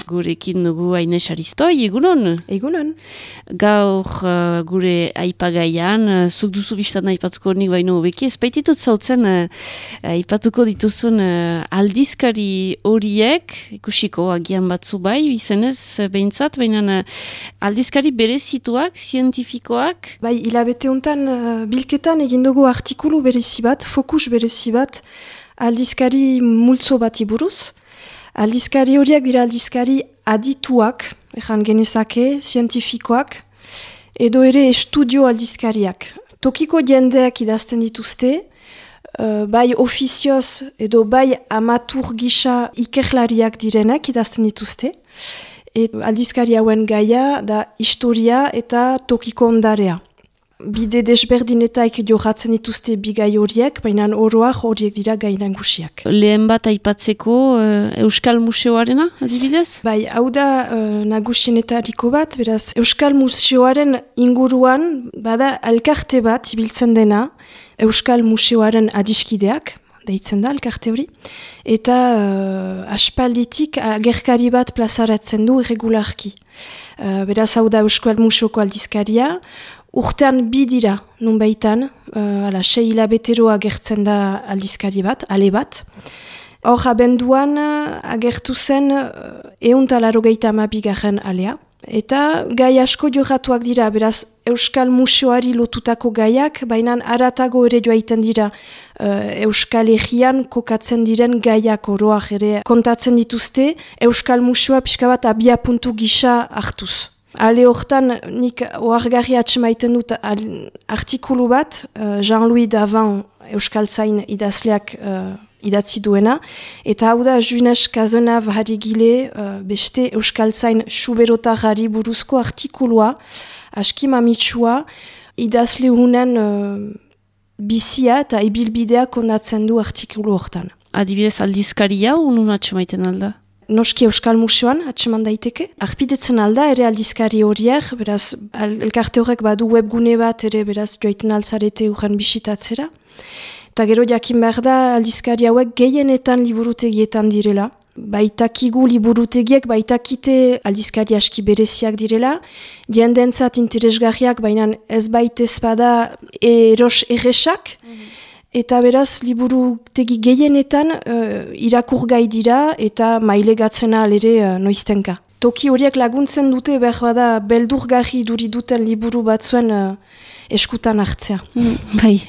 Gurekin dugu Aines Aristoi, egunon? Egunon. Gaur gure aipagaian, zuk duzu biztan aipatuko nik baino beki, ez baititut zautzen aipatuko dituzun aldizkari horiek, ikusiko agian batzu bai, izenez behintzat, baina aldizkari berezituak, zientifikoak? Bai, hilabete hontan bilketan egin dugu artikulu berezi bat, fokus berezi bat, aldizkari multzo bati buruz. Aldizkari horiek dira aldizkari adituak, ezan genezake, zientifikoak, edo ere estudio aldizkariak. Tokiko jendeak idazten dituzte, bai ofizioz edo bai amatur gisa ikerlariak direnak idazten dituzte. Aldizkari hauen gaia da historia eta tokiko ondarea. Bide desberdinetaik johatzen dituzte bigai horiek, baina oroak horiek dira gai nagusiak. Lehen bat aipatzeko Euskal Museoarena, adibidez? Bai, hau da nagusienetariko bat, beraz, Euskal Museoaren inguruan, bada elkarte bat ibiltzen dena, Euskal Museoaren adiskideak, deitzen da elkarte hori, eta aspalditik agerkari bat plazaratzen du irregularki. Beraz, hau da Euskal Museoko aldizkaria, urtean bi dira, nun baitan, 6 hilabetero agertzen da aldizkari bat, ale bat. Hor abenduan agertu zen 182 alea. Eta gai asko jorratuak dira, beraz Euskal Museoari lotutako gaiak, baina aratago ere joaiten dira Euskal Herrian kokatzen diren gaiak oroak ere kontatzen dituzte, Euskal Museoa pixka bat abia puntu gisa hartuz. Ale hortan, nik oargarri atxemaiten dut artikulu bat, Jean-Louis Davant Euskaltzain idazleak idatzi duena, eta hau da Junes Kazenav harigile beste Euskaltzain suberotarari buruzko artikulua, aski mamitsua, idazle hunen bizia eta ibilbidea kondatzen du artikulu hortan. Adibidez aldizkaria, unun atxemaiten alda? Noski Euskal Museoan atseman daiteke. Arpidetzen alda ere aldizkari horiek, beraz, elkarte horrek badu webgune bat ere, beraz, joaiten altzarete urren bisitatzera. Eta gero jakin behar da aldizkari hauek gehienetan liburutegietan direla. Baitakigu liburutegiek, baitakite aldizkari aski bereziak direla. Diendentzat interesgarriak, baina ez baitez bada eros erresak. Eta beraz, liburutegi gehienetan irakurgai dira eta mailegatzena alere noiztenka. Toki horiek laguntzen dute behar bada beldurgarri duri duten liburu batzuen eskutan hartzea. Bai,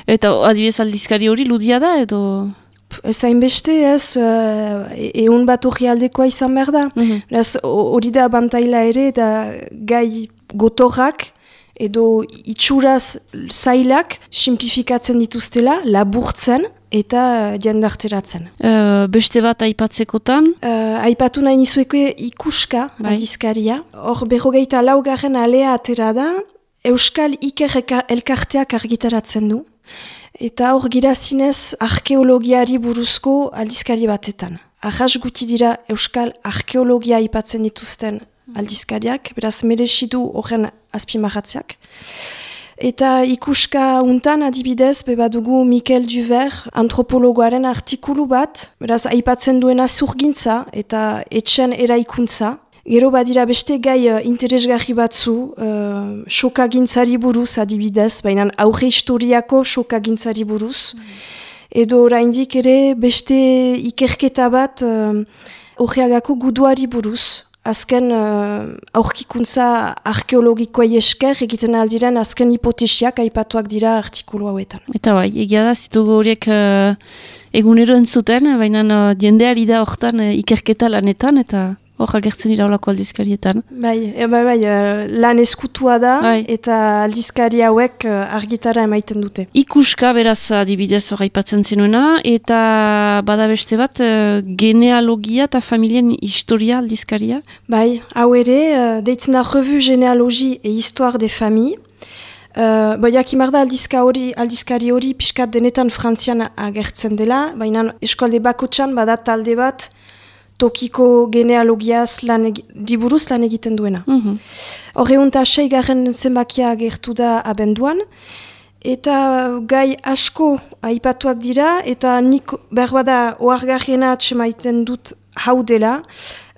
eta adibidez aldizkari hori ludia da edo? Ez hainbeste ez, egun bat hori aldekoa izan behar da. Beraz, hori da abantaila ere, da gai gotorrak, edo itxuraz zailak simplifikatzen dituztela, laburtzen eta jendarteratzen. Beste bat aipatzekotan? Aipatu nahi nizueko ikuska aldizkaria. Hor 24. alea atera da, Euskal Iker elkarteak argitaratzen du. Eta hor girazinez arkeologiari buruzko aldizkari batetan. Arras guti dira Euskal arkeologia aipatzen dituzten aldizkariak, beraz merezidu horren azpimarratzeak. Eta ikuska untan adibidez, bebadugu Mikel Duver, antropologoaren artikulu bat, beraz aipatzen duena zurgintza eta etxen eraikuntza. Gero badira beste gai interesgarri batzu, sokagintzari buruz adibidez, baina aurre historiako sokagintzari buruz. Edo oraindik ere beste ikerketa bat Horreagako guduari buruz. Azken aurkikuntza arkeologikoa esker egiten aldiren azken hipotesiak aipatuak dira artikulu hauetan. Eta bai, egia da, zitugu horiek egunero entzuten, baina jendeari da hortan ikerketa lanetan eta hor agertzen dira olako aldizkarietan. Bai, lan eskutua da eta aldizkari hauek argitara emaiten dute. Ikuska beraz adibidez hor aipatzen zenuena eta bada beste bat genealogia eta familien historia aldizkaria? Bai, hau ere, deitzen da Revue Généalogie et Histoire des Familles. Jakimarda aldizkari hori pixkat denetan frantzian agertzen dela, baina eskualde bakotxan bada talde bat tokiko genealogiaz diburuz lan egiten duena. Horreunta 6. zenbakia agertu da abenduan, eta gai asko aipatuak dira, eta nik berbada oargarriena atxemaiten dut hau dela,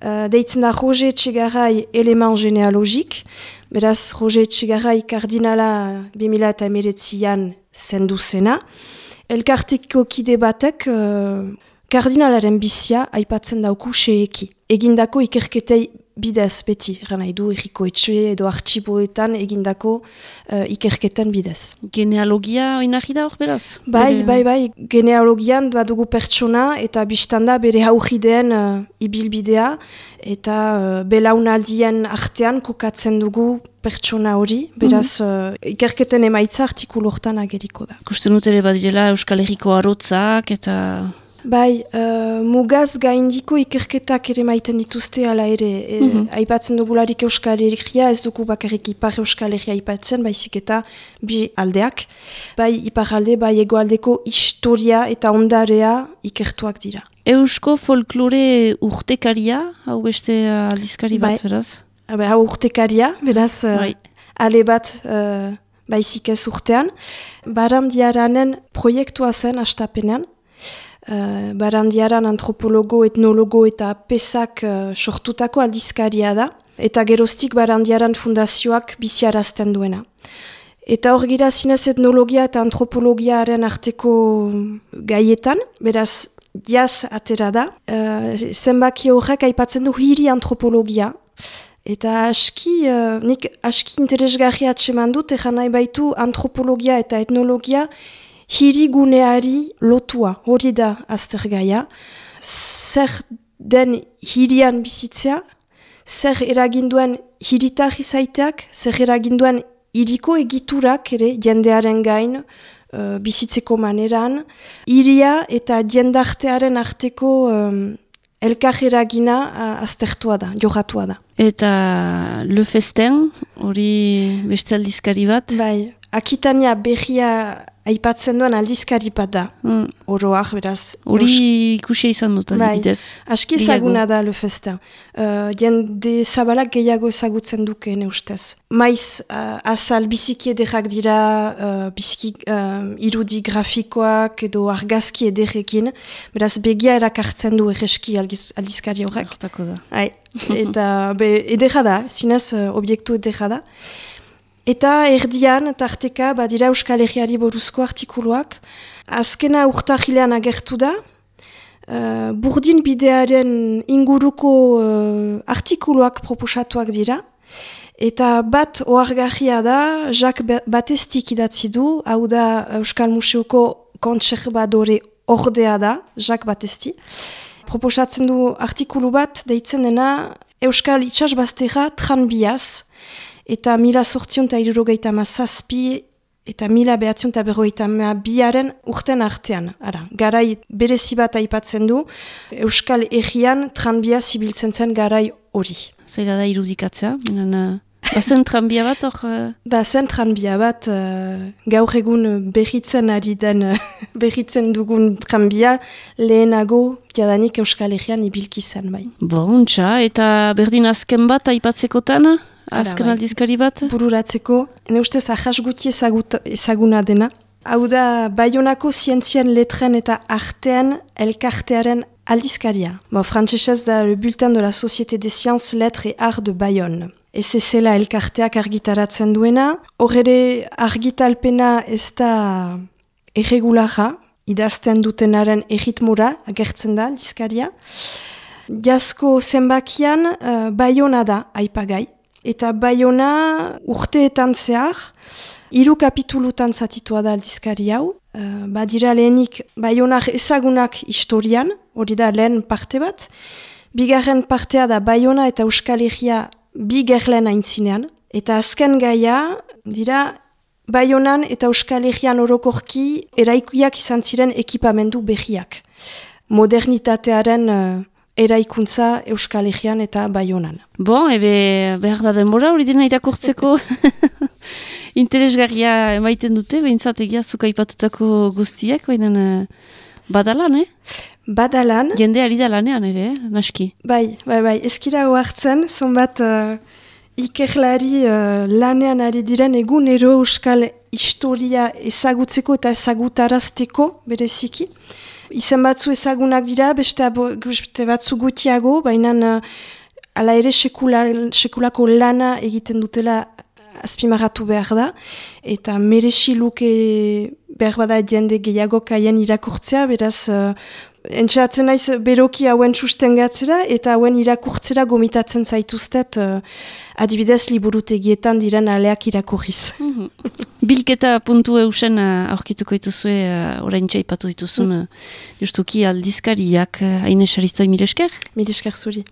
deitzen da Roger Etxegarai Eleman Genealogik, beraz Roger Etxegarai kardinala 2019an zendu zena. Elkarteko kide batek kardinalaren bizia aipatzen dauku xeeki. Egindako ikerketei bidez beti, gana du erriko etxe edo artxiboetan egindako ikerketen bidez. Genealogia oinarri da hor beraz? Bai, genealogian badugu pertsona eta biztanda bere haujideen ibilbidea eta belaunaldien artean kokatzen dugu pertsona hori, beraz ikerketen emaitza artikulu hortan ageriko da. Kusten dut ere badirela Euskal Herriko arotzak eta... Bai, mugaz gaindiko ikerketak ere maiten dituzte ala ere. Aipatzen dugularik Euskal Herria, ez dugu bakarrik Ipar Euskal Herria aipatzen, baizik eta bi aldeak. Bai, Ipar alde, bai egoaldeko historia eta ondarea ikertuak dira. Eusko folklore urtekaria, hau beste aldizkari bat, beraz? Hau urtekaria, beraz, ale bat baizik ez urtean. Barandiaranen proiektua zen astapenean. Barandiaran antropologo, etnologo eta pesak sortutako aldizkaria da, eta geroztik Barandiaran fundazioak biziarazten duena. Eta hor gira zinez etnologia eta antropologiaren arteko gaietan, beraz jaz atera da, zenbaki horrek aipatzen du hiri antropologia, eta nik aski interesgarria atseman dut, egan nahi baitu antropologia eta etnologia hiriguneari lotua, hori da aztergaia. Zer den hirian bizitzea, zer eraginduen hiritar izaiteak, zer eraginduen hiriko egiturak ere jendearen gain bizitzeko maneran, hiria eta jendartearen arteko elkar eragina aztertua da, jogatua da. Eta Le Festin, hori beste aldizkari bat? Bai, Akitania berria aipatzen duen aldizkari bat da, oroak, beraz. Hori ikusia izan dut, adibidez. Aski ezaguna da Le Festin. Jende zabalak gehiago ezagutzen dukeen ustez. Maiz, azal biziki ederrak dira, biziki irudi grafikoak edo argazki ederrekin, beraz begia erakartzen du egeski aldizkari horrek. Hortako da. Eta ederra da, zinez obiektu ederra da. Eta erdian, tarteka, badira Euskal Herriari buruzko artikuluak. Azkena urtahilean agertu da. Burdin bidearen inguruko artikuluak proposatuak dira. Eta bat ohargarria da, Jacques Batestik idatzi du, hau da Euskal Museoko kontserbadore ordea da, Jacques Batesti. Proposatzen du artikulu bat, deitzen dena Euskal Itsasbazterra tranbiaz, eta 1867 eta 1952 urten artean. Garai berezi bat aipatzen du, Euskal Herrian tranbia zibiltzen zen garai hori. Zaila da irudikatzea? Bazen tranbia bat hor? Bazen tranbia bat, gaur egun berritzen dugun tranbia, lehenago jadanik Euskal Herrian ibilki zen bai. Bontxa, eta berdin azken bat aipatzekotan? Azken aldizkari bat? Bururatzeko, ene ustez ahas guti ezaguna dena. Hau da, Baionako zientzien letren eta artean elkartearen aldizkaria. Frantsesez da Le Bulletin de la Société des Sciences, Lettres et Arts de Bayonne. SSL elkarteak argitaratzen duena. Horre argitalpena ez da erregulara, idazten dutenaren erritmura agertzen da aldizkaria. Jazko zenbakian Baiona da aipagai. Eta Baiona urteetan zehar, 3 kapitulutan zatitua da aldizkari hau. Badira lehenik Baionak ezagunak historian, hori da lehen parte bat. Bigarren partea da Baiona eta Euskal Herria bi gerlen aintzinean. Eta azken gaia, dira Baionan eta Euskal Herrian orokorki eraikuiak izan ziren ekipamendu berriak. Modernitatearen eraikuntza Euskal Herrian eta Baionan. Ebe behar da denbora hori dena irakurtzeko interesgarria emaiten dute, behintzat egia zuka ipatutako guztiak, baina badalan, Badalan. Jende ari da lanean ere, naski. Bai, eskira zonbat ikerlari lanean ari diren egunero Euskal historia ezagutzeko eta ezagutarazteko bereziki. Izen batzu ezagunak dira, beste batzu gutiago, baina ala ere sekulako lana egiten dutela azpimarratu behar da, eta merezi luke behar bada jende gehiago kaien irakurtzea, beraz, entxeatzen naiz beroki hauen sustengatzera, eta hauen irakurtzera gomitatzen zaituztet, adibidez liburutegietan diren aleak irakurriz. Bilketa puntu eusen aurkituko dituzue, orain txaipatu dituzun, justuki aldizkariak, Aine Saristoi, mil esker? Mil esker zuri.